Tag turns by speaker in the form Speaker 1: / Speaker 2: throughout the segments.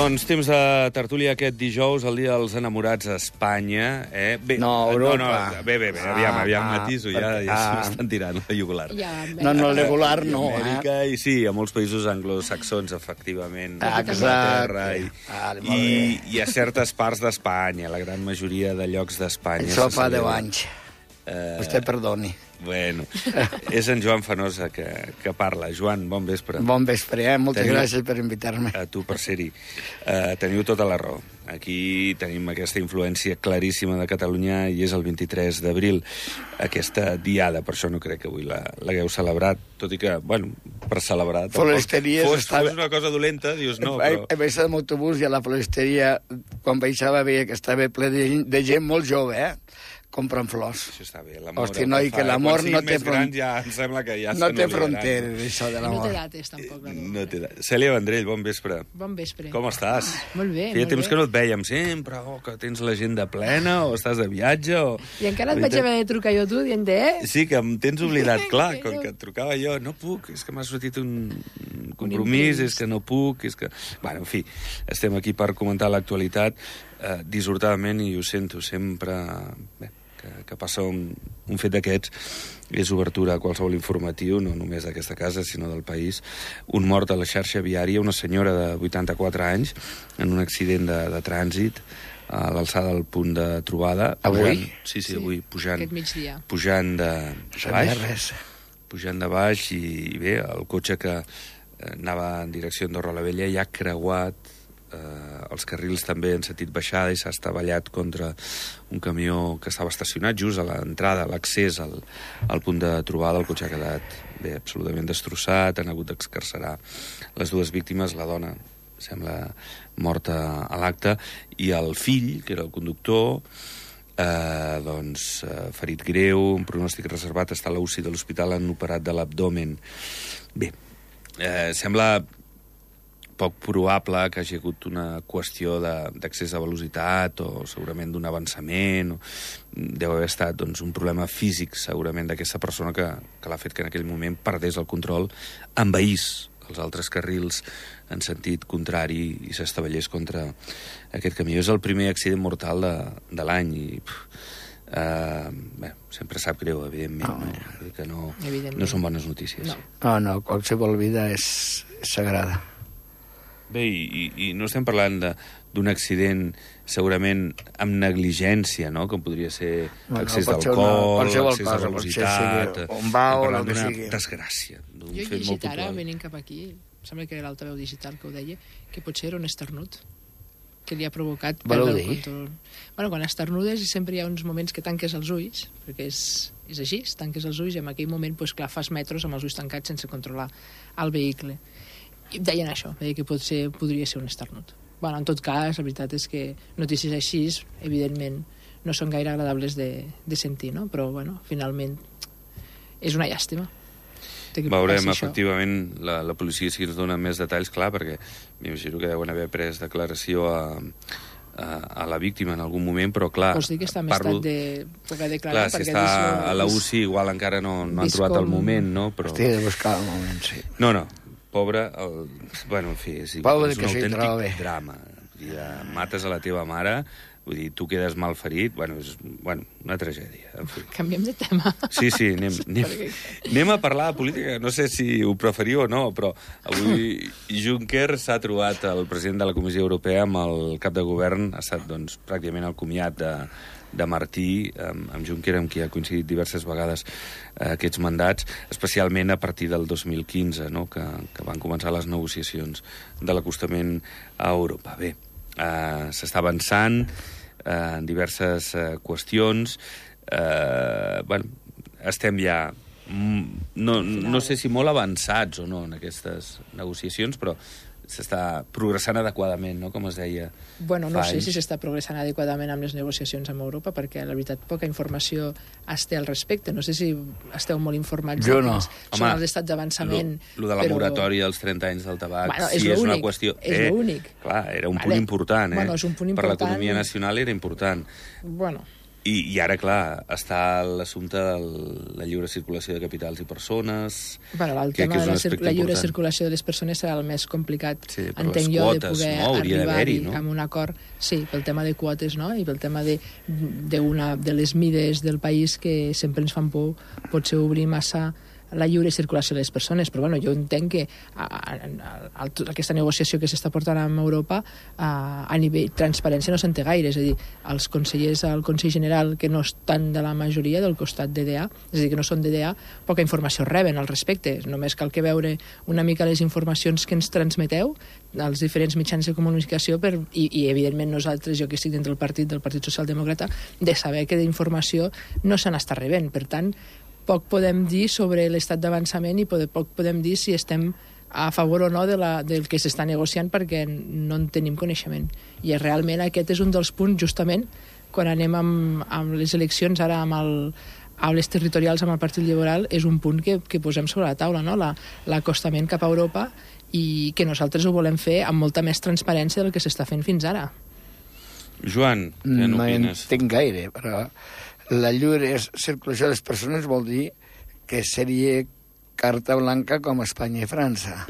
Speaker 1: Doncs temps de tertúlia aquest dijous, el dia dels enamorats a Espanya. Bé,
Speaker 2: Europa.
Speaker 1: Bé, aviam, matiso, ja s'ho estan tirant, la jugular.
Speaker 2: No, regular no,
Speaker 1: Amèrica, i sí, a molts països anglosaxons, efectivament.
Speaker 2: Exacte.
Speaker 1: I a certes parts d'Espanya, la gran majoria de llocs d'Espanya.
Speaker 2: Això fa 10 anys. Vostè perdoni.
Speaker 1: Bueno, és en Joan Fenosa que parla. Joan, bon vespre.
Speaker 2: Bon vespre, Moltes gràcies per invitar-me.
Speaker 1: A tu per ser-hi. Teniu tota la raó. Aquí tenim aquesta influència claríssima de Catalunya i és el 23 d'abril, aquesta diada. Per això no crec que avui l'hagueu celebrat, tot i que, bueno, per celebrar...
Speaker 2: Floristeries...
Speaker 1: Fos una cosa dolenta, dius no, però...
Speaker 2: He baixat amb autobús i a la floristeria, quan baixava, veia que estava ple de gent molt jove, comprant flors.
Speaker 1: Això està bé.
Speaker 2: Hosti, noi, que l'amor no té
Speaker 1: fronteres. Ja em sembla que ja
Speaker 2: no té fronteres, això de l'amor.
Speaker 3: No té dates, tampoc.
Speaker 1: No té dates. Cèlia Vendrell, bon vespre.
Speaker 3: Bon vespre.
Speaker 1: Com estàs?
Speaker 3: Molt bé,
Speaker 1: Feia temps que no et vèiem sempre, que tens l'agenda plena, o estàs de viatge, o...
Speaker 3: I encara et vaig haver de trucar jo tu, dient
Speaker 1: Sí, que em tens oblidat, clar, com que et trucava jo. No puc, és que m'ha sortit un compromís, és que no puc, és que... Bueno, en fi, estem aquí per comentar l'actualitat dissortadament, i ho sento sempre... Bé, que passa un fet d'aquests és obertura a qualsevol informatiu, no només d'aquesta casa, sinó del país. Un mort a la xarxa viària, una senyora de 84 anys, en un accident de trànsit, a l'alçada del punt de trobada.
Speaker 2: Avui?
Speaker 1: Sí, avui, pujant de baix. Pujant de baix, i bé, el cotxe que anava en direcció a Andorra la Vella ja ha creuat els carrils també en sentit baixada i s'ha estavellat contra un camió que estava estacionat just a l'entrada, a l'accés al punt de trobada. El cotxe ha quedat bé, absolutament destrossat, han hagut d'excarcerar les dues víctimes, la dona sembla morta a l'acte, i el fill, que era el conductor, ferit greu, un pronòstic reservat, està a la UCI de l'hospital, han operat de l'abdomen. Bé, sembla poc probable que hagi hagut una qüestió d'accés a velocitat o segurament d'un avançament. Deu haver estat un problema físic segurament d'aquesta persona que l'ha fet que en aquell moment perdés el control, envaís els altres carrils en sentit contrari i s'estavellés contra aquest camió. És el primer accident mortal de l'any i sempre sap greu, evidentment, que no són bones notícies.
Speaker 2: No, qualsevol vida és sagrada.
Speaker 1: Bé, i no estem parlant d'un accident segurament amb negligència, no?, com podria ser accés d'alcohol, accés de velocitat...
Speaker 2: On va o
Speaker 1: la
Speaker 2: que
Speaker 1: sigui. Desgràcia.
Speaker 3: Jo he llegit ara, venint cap aquí, em sembla que era l'altaveu digital que ho deia, que potser era un esternut que li ha provocat perdre el control. Bueno, quan esternudes sempre hi ha uns moments que tanques els ulls, perquè és així, tanques els ulls i en aquell moment, clar, fas metros amb els ulls tancats sense controlar el vehicle. I deien això, deia que potser podria ser un esternut. Bueno, en tot cas, la veritat és que notícies així, evidentment, no són gaire agradables de sentir, no? Però, bueno, finalment, és una llàstima.
Speaker 1: Veurem, efectivament, la policia si ens dona més detalls, clar, perquè m'imagino que deuen haver pres declaració a la víctima en algun moment, però clar...
Speaker 3: Vols dir que està en estat de poder declarar?
Speaker 1: Clar, si està a la UCI igual encara no han trobat el moment, no?
Speaker 2: Estic de buscar el moment, sí.
Speaker 1: No, pobre, bueno, en fi, és un autèntic drama. Mates a la teva mare, vull dir, tu quedes mal ferit, és una tragèdia. En fi.
Speaker 3: Canviem de tema.
Speaker 1: Sí, anem a parlar de política, no sé si ho preferiu o no, però avui Juncker s'ha trobat el president de la Comissió Europea amb el cap de govern, ha estat pràcticament el comiat de Martí, amb Juncker, amb qui ha coincidit diverses vegades aquests mandats, especialment a partir del 2015, no?, que van començar les negociacions de l'acostament a Europa. Bé, s'està avançant en diverses qüestions. Estem ja, no sé si molt avançats o no en aquestes negociacions, però s'està progressant adequadament, no?, com es deia.
Speaker 3: Bueno, no sé si s'està progressant adequadament amb les negociacions amb Europa, perquè, la veritat, poca informació es té al respecte. No sé si esteu molt informats.
Speaker 2: Jo no.
Speaker 3: Són els estats d'avançament.
Speaker 1: Lo de la moratòria als 30 anys del tabac,
Speaker 3: sí, és
Speaker 1: una qüestió...
Speaker 3: És l'únic.
Speaker 1: Clar, era un punt important,
Speaker 3: és un punt important.
Speaker 1: Per l'economia nacional era important.
Speaker 3: Bueno,
Speaker 1: I ara, clar, està l'assumpte de la lliure circulació de capitals i persones...
Speaker 3: Bueno, el tema de la lliure circulació de les persones serà el més complicat, entenc jo, de poder arribar a un acord. Sí, pel tema de quotes, no? I pel tema de les mides del país que sempre ens fan por, potser obrir massa la lliure circulació de les persones, però bueno, jo entenc que aquesta negociació que s'està portant amb Europa a nivell transparència no se'n té gaire, és a dir, els consellers al Consell General que no estan de la majoria del costat DDA, és a dir, que no són DDA, poca informació reben al respecte, només cal que veure una mica les informacions que ens transmeteu als diferents mitjans de comunicació i evidentment nosaltres, jo que estic dintre del Partit Socialdemòcrata, de saber que d'informació no se n'està rebent, per tant poc podem dir sobre l'estat d'avançament i poc podem dir si estem a favor o no del que s'està negociant perquè no en tenim coneixement. I realment aquest és un dels punts, justament, quan anem amb les eleccions, ara amb les territorials amb el Partit Liberal, és un punt que posem sobre la taula, no? L'acostament cap a Europa, i que nosaltres ho volem fer amb molta més transparència del que s'està fent fins ara.
Speaker 1: Joan, què n'opines?
Speaker 2: No entenc gaire, però la lliure circulació de les persones vol dir que seria carta blanca com Espanya i França.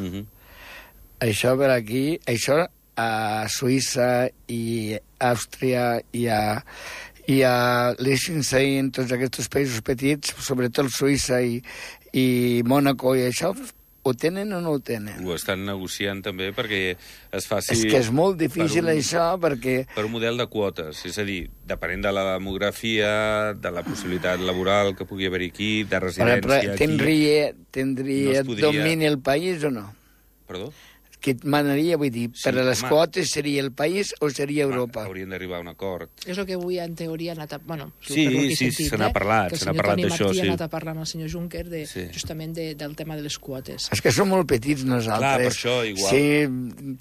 Speaker 2: Això per aquí, això a Suïssa i Àustria i a Liechtenstein, tots aquests països petits, sobretot Suïssa i Mònaco i això, ho tenen o no ho tenen?
Speaker 1: Ho estan negociant també perquè es faci...
Speaker 2: És que és molt difícil això perquè...
Speaker 1: Per un model de quotes, és a dir, depenent de la demografia, de la possibilitat laboral que pugui haver aquí, de residència aquí...
Speaker 2: Tindria domini el país o no?
Speaker 1: Perdó?
Speaker 2: Que et manaria, vull dir, per a les quotes seria el país o seria Europa?
Speaker 1: Haurien d'arribar a un acord.
Speaker 3: És el que avui, en teoria, ha anat a... Bueno,
Speaker 1: sí, se n'ha parlat, se n'ha parlat d'això,
Speaker 3: sí. Que el senyor Toni Martí ha anat a parlar amb el senyor Juncker justament del tema de les quotes.
Speaker 2: És que som molt petits nosaltres.
Speaker 1: Clar, per això, igual.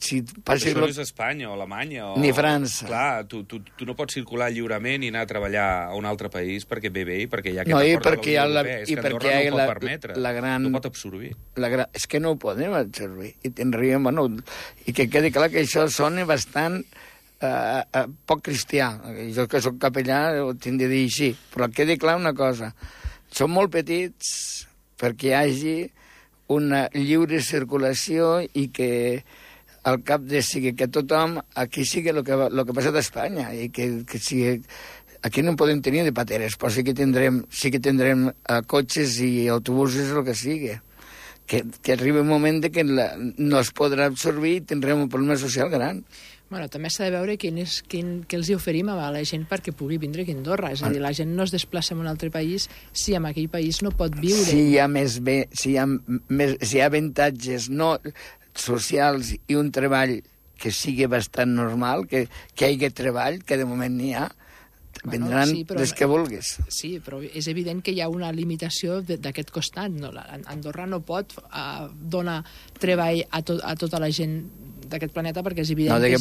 Speaker 2: Si passi...
Speaker 1: Això no és Espanya o Alemanya o...
Speaker 2: Ni França.
Speaker 1: Clar, tu no pots circular lliurement i anar a treballar a un altre país perquè ve bé i perquè hi ha
Speaker 2: aquest
Speaker 1: acord de la Unió Europea.
Speaker 2: És que Andorra
Speaker 1: no ho pot permetre, no pot absorbir.
Speaker 2: És que no ho podem absorbir. I tindríem... I que quedi clar que això sona bastant poc cristià. Jo que soc capellà ho tinc de dir així. Però quedi clar una cosa. Som molt petits perquè hi hagi una lliure circulació i que al cap de sigui que tothom aquí sigui el que passa a Espanya i que sigui... Aquí no podem tenir de pateres, però sí que tindrem cotxes i autobusos, el que sigui. Que arribi un moment que no es podrà absorbir i tindrem un problema social gran.
Speaker 3: Bueno, també s'ha de veure què els oferim a la gent perquè pugui vindre aquí a Andorra. És a dir, la gent no es desplaça en un altre país si en aquell país no pot viure.
Speaker 2: Si hi ha avantatges no socials i un treball que sigui bastant normal, que hi hagi treball, que de moment n'hi ha, vendran des que vulguis.
Speaker 3: Sí, però és evident que hi ha una limitació d'aquest costat. No? Andorra no pot donar treball a tota la gent d'aquest planeta perquè és evident
Speaker 2: que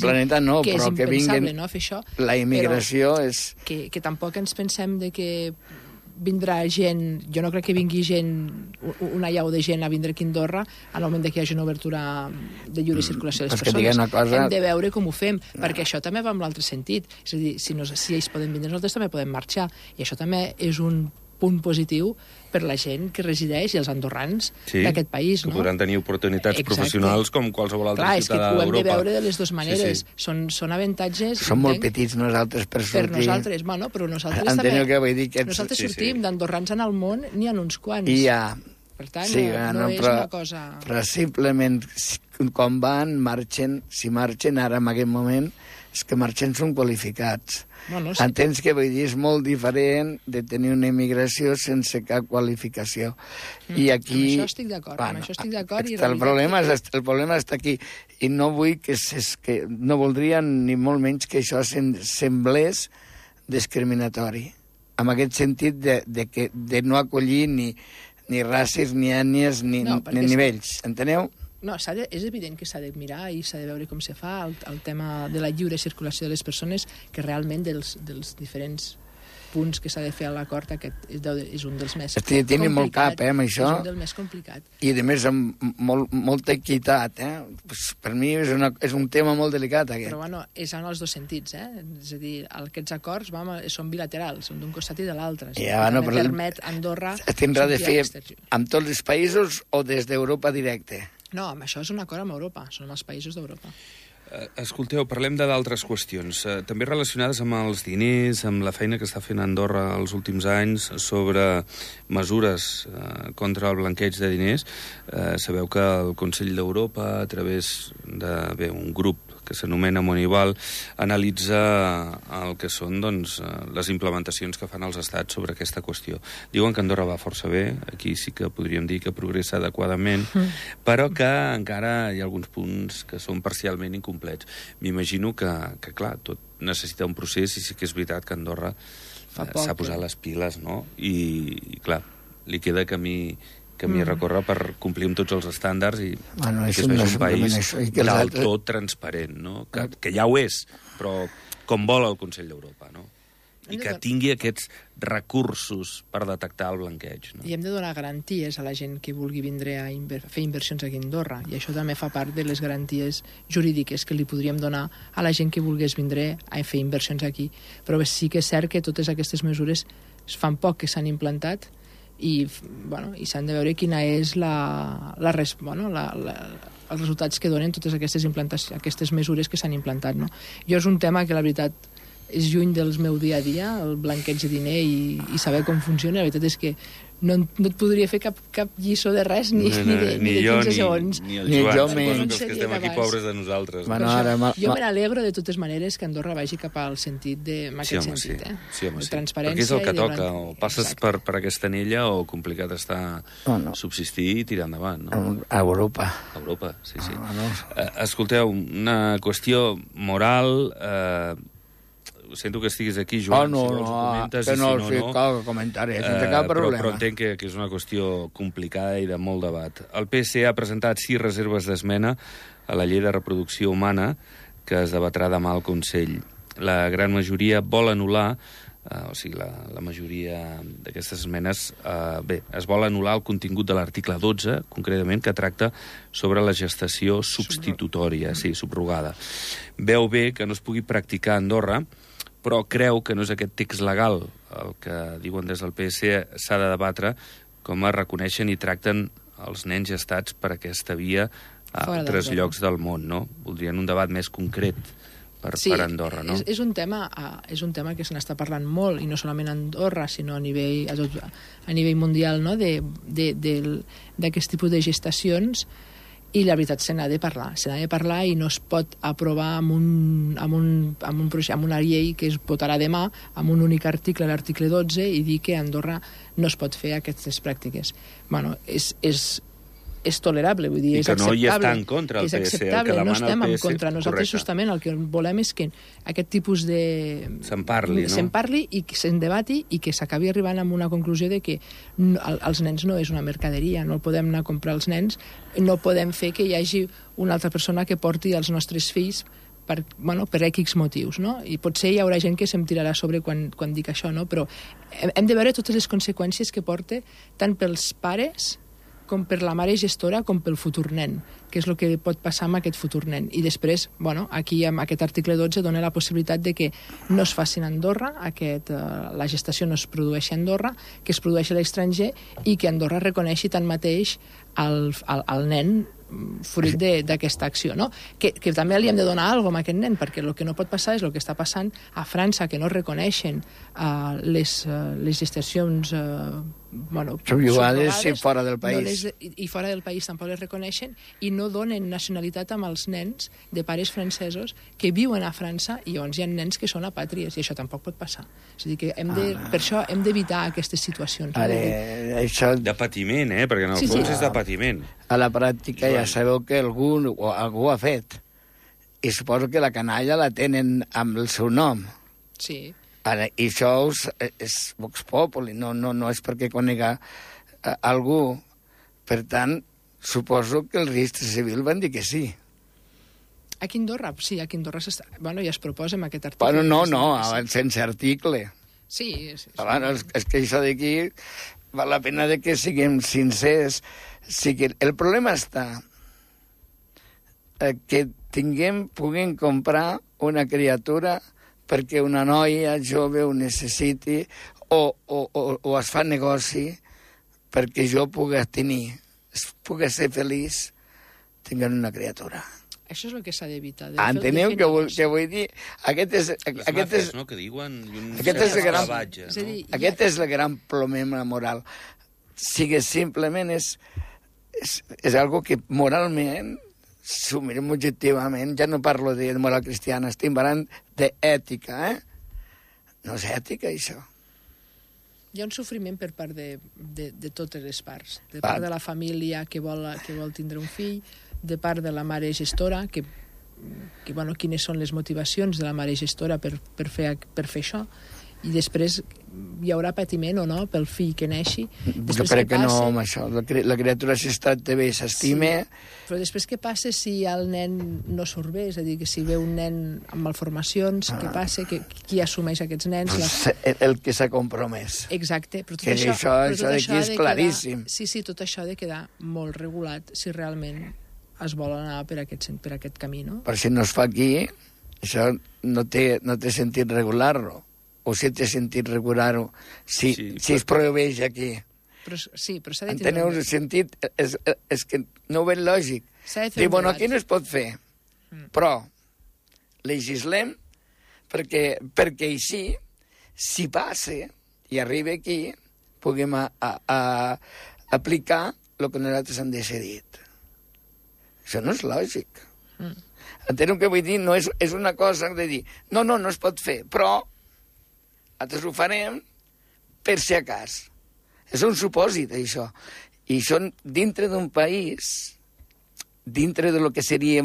Speaker 2: és
Speaker 3: impensable no, fer això.
Speaker 2: La immigració és...
Speaker 3: Que tampoc ens pensem de que vindrà gent, jo no crec que vingui gent, una llau de gent a vindre aquí a Andorra en el moment que hi hagi una obertura de lliure circulació de les persones. Hem de veure com ho fem, perquè això també va en l'altre sentit. És a dir, si ells poden vindre, nosaltres també podem marxar. I això també és un punt positiu per la gent que resideix i els andorrans d'aquest país.
Speaker 1: Que podran tenir oportunitats professionals com qualsevol altre ciutadà d'Europa.
Speaker 3: Clar, és que ho hem de veure de les dues maneres. Són avantatges...
Speaker 2: Som molt petits nosaltres per sortir.
Speaker 3: Per nosaltres, bueno, però nosaltres també... Nosaltres sortim d'andorrans en el món, n'hi ha uns quants. Per tant, no és una cosa...
Speaker 2: Però simplement, quan marxen, si marxen ara en aquest moment, és que marxen són qualificats. Entens que vull dir, és molt diferent de tenir una immigració sense cap qualificació. I aquí...
Speaker 3: Amb això estic d'acord.
Speaker 2: El problema està aquí. I no vull que no voldria ni molt menys que això semblés discriminatori. En aquest sentit de no acollir ni races, ni ètnies, ni nivells. Enteneu?
Speaker 3: No, és evident que s'ha de mirar i s'ha de veure com se fa el tema de la lliure circulació de les persones, que realment dels diferents punts que s'ha de fer a l'acord, aquest és un dels més
Speaker 2: complicat. Tiene molt cap, amb això.
Speaker 3: És un dels més complicat.
Speaker 2: I, a més, amb molta equitat, Pues, per mi és un tema molt delicat, aquest.
Speaker 3: Però, bueno, és en els dos sentits, És a dir, aquests acords són bilaterals, són d'un costat i de l'altre. Permet Andorra...
Speaker 2: Tindrà de fer amb tots els països o des d'Europa directe?
Speaker 3: No, això és un acord amb Europa, són els països d'Europa.
Speaker 1: Escolteu, parlem d'altres qüestions, també relacionades amb els diners, amb la feina que està fent Andorra els últims anys sobre mesures contra el blanqueig de diners. Sabeu que el Consell d'Europa, a través d'un grup que s'anomena Moneyball, analitza el que són les implementacions que fan els estats sobre aquesta qüestió. Diuen que Andorra va força bé, aquí sí que podríem dir que progressa adequadament, però que encara hi ha alguns punts que són parcialment incomplets. M'imagino que clar, tot necessita un procés i sí que és veritat que Andorra s'ha posat les piles, no? I clar, li queda camí a recórrer per complir amb tots els estàndards i que es vegi un país del tot transparent, no? Que ja ho és, però com vol el Consell d'Europa, no? I que tingui aquests recursos per detectar el blanqueig, no?
Speaker 3: I hem de donar garanties a la gent que vulgui vindre a fer inversions aquí a Andorra, i això també fa part de les garanties jurídiques que li podríem donar a la gent que volgués vindre a fer inversions aquí. Però sí que és cert que totes aquestes mesures fan poc que s'han implantat i s'han de veure quina és els resultats que donen totes aquestes mesures que s'han implantat, no? Jo és un tema que la veritat és lluny del meu dia a dia, el blanqueig de diner i saber com funciona. La veritat és que no et podria fer cap lliçó de res ni de 15 segons.
Speaker 1: Ni el Joan, suposo que els que estem aquí pobres de nosaltres.
Speaker 3: Jo me n'alegro de totes maneres que Andorra vagi cap al sentit sentit.
Speaker 1: Sí, perquè és el que toca, o passes per aquesta anella o complicat està subsistir i tirar endavant, no?
Speaker 2: A Europa.
Speaker 1: A Europa, sí. Escolteu, una qüestió moral... Sento que estiguis aquí, Joan, si vols comentes,
Speaker 2: que no cal comentar, sense cap problema.
Speaker 1: Però entenc que és una qüestió complicada i de molt debat. El PSC ha presentat 6 reserves d'esmena a la llei de reproducció humana que es debatrà demà al Consell. La gran majoria vol anul·lar, la majoria d'aquestes esmenes, es vol anul·lar el contingut de l'article 12, concretament, que tracta sobre la gestació substitutòria, subrogada. Veu bé que no es pugui practicar a Andorra, però creu que no és aquest text legal el que diuen des del PSC s'ha de debatre com es reconeixen i tracten els nens gestats per aquesta via a altres llocs del món, no? Voldrien un debat més concret per Andorra, no?
Speaker 3: És un tema que se n'està parlant molt, i no solament a Andorra, sinó a nivell mundial, no? D'aquest tipus de gestacions. I la veritat se n'ha de parlar i no es pot aprovar amb una llei que es votarà demà amb un únic article, l'article 12, i dir que a Andorra no es pot fer aquestes pràctiques. És tolerable, vull dir, és acceptable.
Speaker 1: I que no hi està en contra el PSC, el que demana el PSC.
Speaker 3: No estem en contra. Nosaltres justament el que volem és que aquest tipus de...
Speaker 1: Se'n parli
Speaker 3: i que se'n debati i que s'acabi arribant a una conclusió de que els nens no és una mercaderia, no podem anar a comprar els nens, no podem fer que hi hagi una altra persona que porti els nostres fills per X motius, no? I potser hi haurà gent que se'm tirarà a sobre quan dic això, no? Però hem de veure totes les conseqüències que porta tant pels pares com per la mare gestora, com pel futur nen, que és el que pot passar amb aquest futur nen. I després, aquí amb aquest article 12 dona la possibilitat de que no es faci a Andorra, la gestació no es produeixi a Andorra, que es produeixi a l'estranger i que Andorra reconeixi tanmateix el nen fruit d'aquesta acció, no? Que també li hem de donar alguna cosa a aquest nen, perquè el que no pot passar és el que està passant a França, que no reconeixen les gestacions
Speaker 2: subrogades fora del país.
Speaker 3: I fora del país tampoc les reconeixen i no donen nacionalitat amb els nens de pares francesos que viuen a França, i llavors hi ha nens que són apàtries, i això tampoc pot passar. És a dir, que per això hem d'evitar aquestes situacions.
Speaker 1: De patiment, perquè en el fons és de patiment.
Speaker 2: A la pràctica ja sabeu que algú ho ha fet. I suposo que la canalla la tenen amb el seu nom.
Speaker 3: Sí.
Speaker 2: Ara, i això és Vox Populi, no és perquè conega algú. Per tant, suposo que el registre civil van dir que sí.
Speaker 3: Aquí a Andorra, ja es proposa amb aquest article.
Speaker 2: No, sense article.
Speaker 3: Sí.
Speaker 2: Bueno, és que això d'aquí val la pena de que siguem sincers. El problema està que puguem comprar una criatura perquè una noia jove ho necessiti o es fa negoci perquè jo pugui tenir, pugui ser feliç tenint una criatura.
Speaker 3: Això és el que s'ha d'evitar.
Speaker 2: Enteneu què vull dir? Aquest és el gran problema moral. Sigui simplement és algo que moralment, si ho mirem objectivament, ja no parlo de moral cristiana, estic parlant d'ètica, No és ètica, això.
Speaker 3: Hi ha un sofriment per part de totes les parts. De part de la família que vol tindre un fill, de part de la mare gestora, que quines són les motivacions de la mare gestora per fer això, i després hi haurà patiment o no pel fill que neixi.
Speaker 2: Jo crec que no, amb això. La criatura, si està bé, s'estima...
Speaker 3: Però després què passa si el nen no surt bé? És a dir, que si ve un nen amb malformacions, què passa? Qui assumeix aquests nens?
Speaker 2: El que s'ha compromès.
Speaker 3: Exacte. Però
Speaker 2: tot això d'aquí és claríssim.
Speaker 3: Sí, tot això ha de quedar molt regulat si realment es vol anar per aquest camí, no?
Speaker 2: Per si no es fa aquí, això no té sentit regular-lo. O si té sentit regular-ho, si es prohibeix aquí.
Speaker 3: Però s'ha de
Speaker 2: tenir un sentit, és que no ho veig lògic. Diu, bueno, aquí no es pot fer, però legislem perquè així, si passa i arriba aquí, puguem aplicar el que nosaltres hem decidit. Això no és lògic. Enteneu què vull dir? No és una cosa de dir, no es pot fer, però nosaltres ho farem per si a cas. És un supòsit, això. I això dintre d'un país, dintre de lo que seria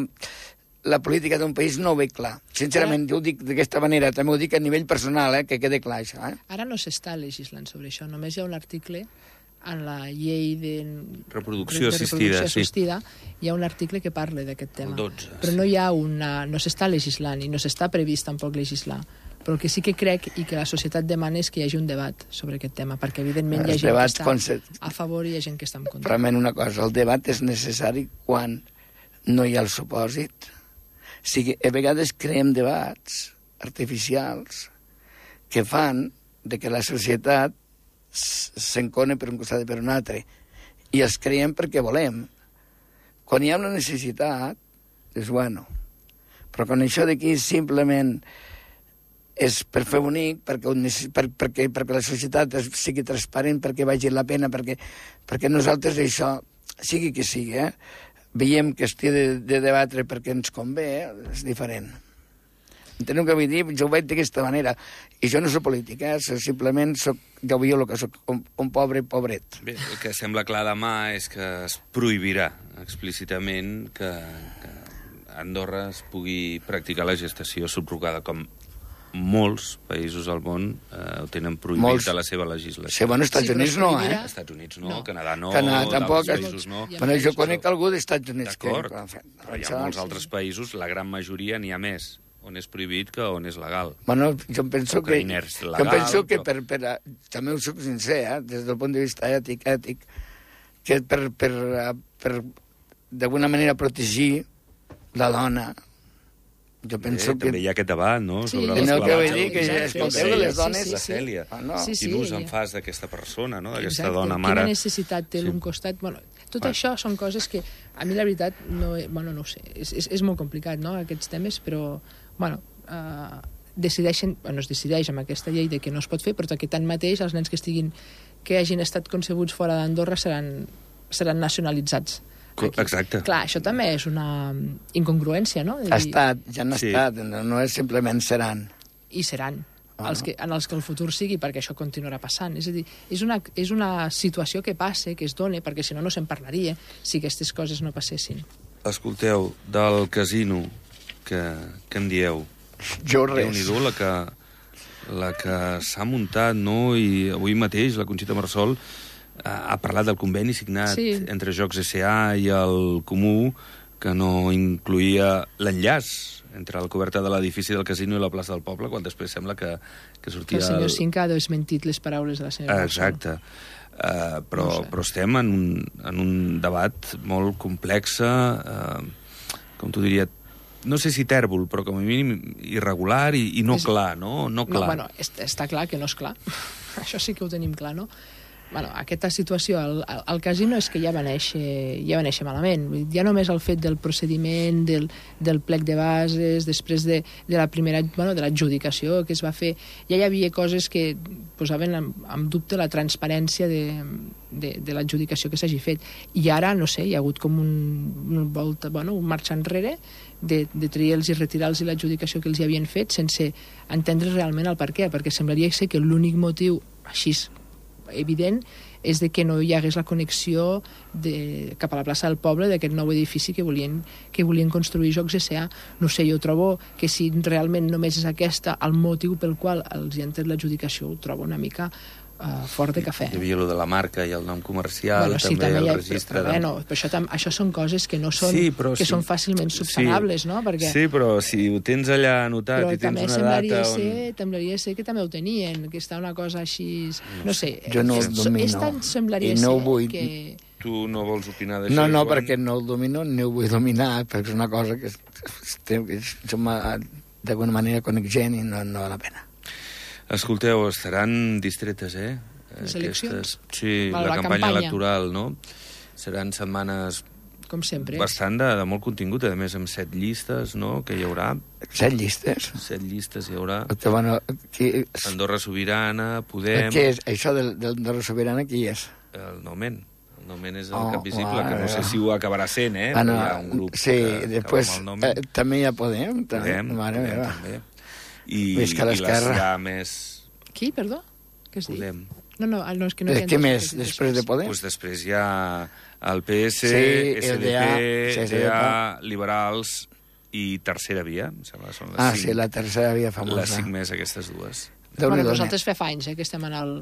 Speaker 2: la política d'un país, no ho veig clar. Sincerament, jo ho dic d'aquesta manera, també ho dic a nivell personal, que quede clar això.
Speaker 3: Ara no s'està legislant sobre això, només hi ha un article en la llei de
Speaker 1: reproducció assistida,
Speaker 3: hi ha un article que parla d'aquest tema.
Speaker 1: El 12.
Speaker 3: Però no s'està legislant i no s'està previst tampoc legislar. Però el que sí que crec i que la societat demana és que hi hagi un debat sobre aquest tema, perquè evidentment hi ha gent que està a favor i hi ha gent que està en contra.
Speaker 2: Realment una cosa, el debat és necessari quan no hi ha el supòsit. O sigui, a vegades creem debats artificials que fan de que la societat s'encone per un costat i per un altre. I els creiem perquè volem. Quan hi ha una necessitat, és bueno. Però quan això d'aquí simplement és per fer bonic, perquè la societat sigui transparent, perquè vagi la pena, perquè nosaltres això, sigui que sigui, veiem que estigui de debatre perquè ens convé, és diferent. Enteneu què vull dir? Jo ho veig d'aquesta manera. I jo no soc polític, simplement ja ho veieu el que soc, un pobre pobret.
Speaker 1: Bé, el que sembla clar demà és que es prohibirà explícitament que a Andorra es pugui practicar la gestació subrogada, com molts països al món ho tenen prohibit a la seva legislació.
Speaker 2: Sí, bueno, Estats Units no,
Speaker 1: Estats Units no, Canadà no,
Speaker 2: Canadà tampoc,
Speaker 1: països no.
Speaker 2: Bueno, jo conec algú d'Estats Units.
Speaker 1: D'acord, però hi ha molts altres països, la gran majoria n'hi ha més, on és prohibit que on és legal.
Speaker 2: Bueno, jo penso que també ho soc sincer, des del punt de vista ètic, que per d'alguna manera protegir la dona. Jo penso que...
Speaker 1: També hi ha aquest debat, no?
Speaker 3: Sobre
Speaker 2: les clavetes. Que escolteu de les dones...
Speaker 1: La Cèlia. Quin ús en fas d'aquesta persona, no? D'aquesta dona
Speaker 3: Quina
Speaker 1: mare.
Speaker 3: necessitat té l'un costat? Bueno, tot això són coses que a mi la veritat no ho sé. És molt complicat, no?, aquests temes, però, bueno, es decideix amb aquesta llei de que no es pot fer, però que tanmateix els nens que hagin estat concebuts fora d'Andorra seran nacionalitzats.
Speaker 1: Exacte.
Speaker 3: Clar, això també és una incongruència, no?
Speaker 2: Ha estat, ja han estat, no és simplement seran.
Speaker 3: I seran, en els que el futur sigui, perquè això continuarà passant. És a dir, és una situació que passa, que es dona, perquè si no se'n parlaria, si aquestes coses no passessin.
Speaker 1: Escolteu, del casino, que en dieu?
Speaker 2: Jo res.
Speaker 1: Déu-n'hi-do la que s'ha muntat, no? I avui mateix la Conxita Marsol ha parlat del conveni signat entre Jocs S.A. i el Comú, que no incluïa l'enllaç entre la coberta de l'edifici del casino i la plaça del Poble, quan després sembla que sortia...
Speaker 3: El senyor Cinca ha desmentit les paraules de la senyora Bolsón.
Speaker 1: Exacte. Però estem en un debat molt complex, com t'ho diria, no sé si tèrbol, però com a mínim irregular i no clar, no? No clar.
Speaker 3: Bueno, està clar que no és clar. Això sí que ho tenim clar, no? Bueno, aquesta situació al casino és que ja va néixer malament. Ja només el fet del procediment, del plec de bases, després de la primera, de l'adjudicació que es va fer, ja hi havia coses que posaven en dubte la transparència de l'adjudicació que s'hagi fet. I ara, no sé, hi ha hagut com un marxa enrere de triar-los i retirar-los l'adjudicació que els hi havien fet sense entendre realment el per què, perquè semblaria ser que l'únic motiu així evident és de que no hi hagués la connexió cap a la plaça del Poble d'aquest nou edifici que volien construir Jocs S.A. No sé, jo trobo que si realment només és aquesta el motiu pel qual els hi han tret l'adjudicació, ho trobo una mica fort de cafè.
Speaker 1: Hi havia allò de la marca i el nom comercial, també el registre...
Speaker 3: Però això són coses que no són... que són fàcilment subsanables, no? Perquè...
Speaker 1: Sí, però si ho tens allà anotat i tens una data...
Speaker 3: Però semblaria ser que també ho tenien, que està una cosa així... No sé,
Speaker 2: jo no el domino.
Speaker 3: Semblaria ser que...
Speaker 1: Tu no vols opinar d'això?
Speaker 2: No, perquè no el domino ni ho vull dominar, perquè és una cosa que som d'alguna manera coneixent i no val la pena.
Speaker 1: Escolteu, estaran distretes,
Speaker 3: Les eleccions?
Speaker 1: Sí, la campanya electoral, no? Seran setmanes...
Speaker 3: Com sempre.
Speaker 1: Bastant de molt contingut, a més amb 7 llistes, no?, que hi haurà.
Speaker 2: 7 llistes?
Speaker 1: 7 llistes hi haurà.
Speaker 2: Andorra
Speaker 1: Sobirana, Podem...
Speaker 2: Què és? Això d'Andorra Sobirana, qui és?
Speaker 1: El Nomen. El Nomen és el cap visible, que no sé si ho acabarà sent, però hi ha un grup
Speaker 2: que després, amb el Nomen. També hi ha Podem.
Speaker 1: Podem, també. I les ja més...
Speaker 3: Qui, perdó? Què has dit?
Speaker 1: Podem.
Speaker 3: No, és que no...
Speaker 2: Què més, després de Podem?
Speaker 1: Doncs després hi ha el PS, SDP, CDA, Liberals i Tercera Via, em sembla, són les 5.
Speaker 2: Sí, la Tercera Via famosa.
Speaker 1: Les 5 més, aquestes dues.
Speaker 3: Nosaltres fa anys que estem en el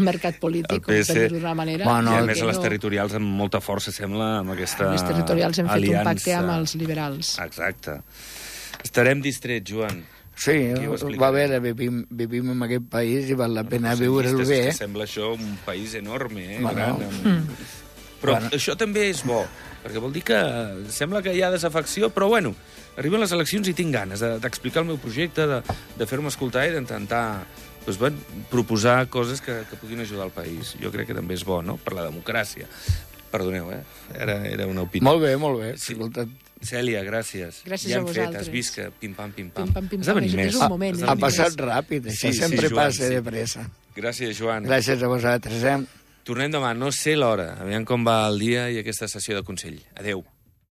Speaker 3: mercat polític, per dir-ho d'una manera.
Speaker 1: I a més a les territorials amb molta força, sembla, amb aquesta aliança.
Speaker 3: Les territorials hem fet un pacte amb els liberals.
Speaker 1: Exacte. Estarem distrets, Joan.
Speaker 2: Sí, va bé, vivim en aquest país i val la pena viure-ho bé.
Speaker 1: Que sembla això un país enorme, gran. Però això també és bo, perquè vol dir que sembla que hi ha desafecció, però bueno, arriben les eleccions i tinc ganes d'explicar el meu projecte, de fer-me escoltar i d'intentar proposar coses que puguin ajudar el país. Jo crec que també és bo, no?, per la democràcia. Perdoneu, era una opinió.
Speaker 2: Molt bé.
Speaker 1: Sí. Cèlia, gràcies.
Speaker 3: Gràcies a vosaltres.
Speaker 1: Has vist que pim-pam.
Speaker 3: Has de venir més.
Speaker 2: Ha passat ràpid, això sempre passa de pressa.
Speaker 1: Gràcies, Joan.
Speaker 2: Gràcies a vosaltres,
Speaker 1: Tornem demà, no sé l'hora. Aviam com va el dia i aquesta sessió de Consell. Adéu.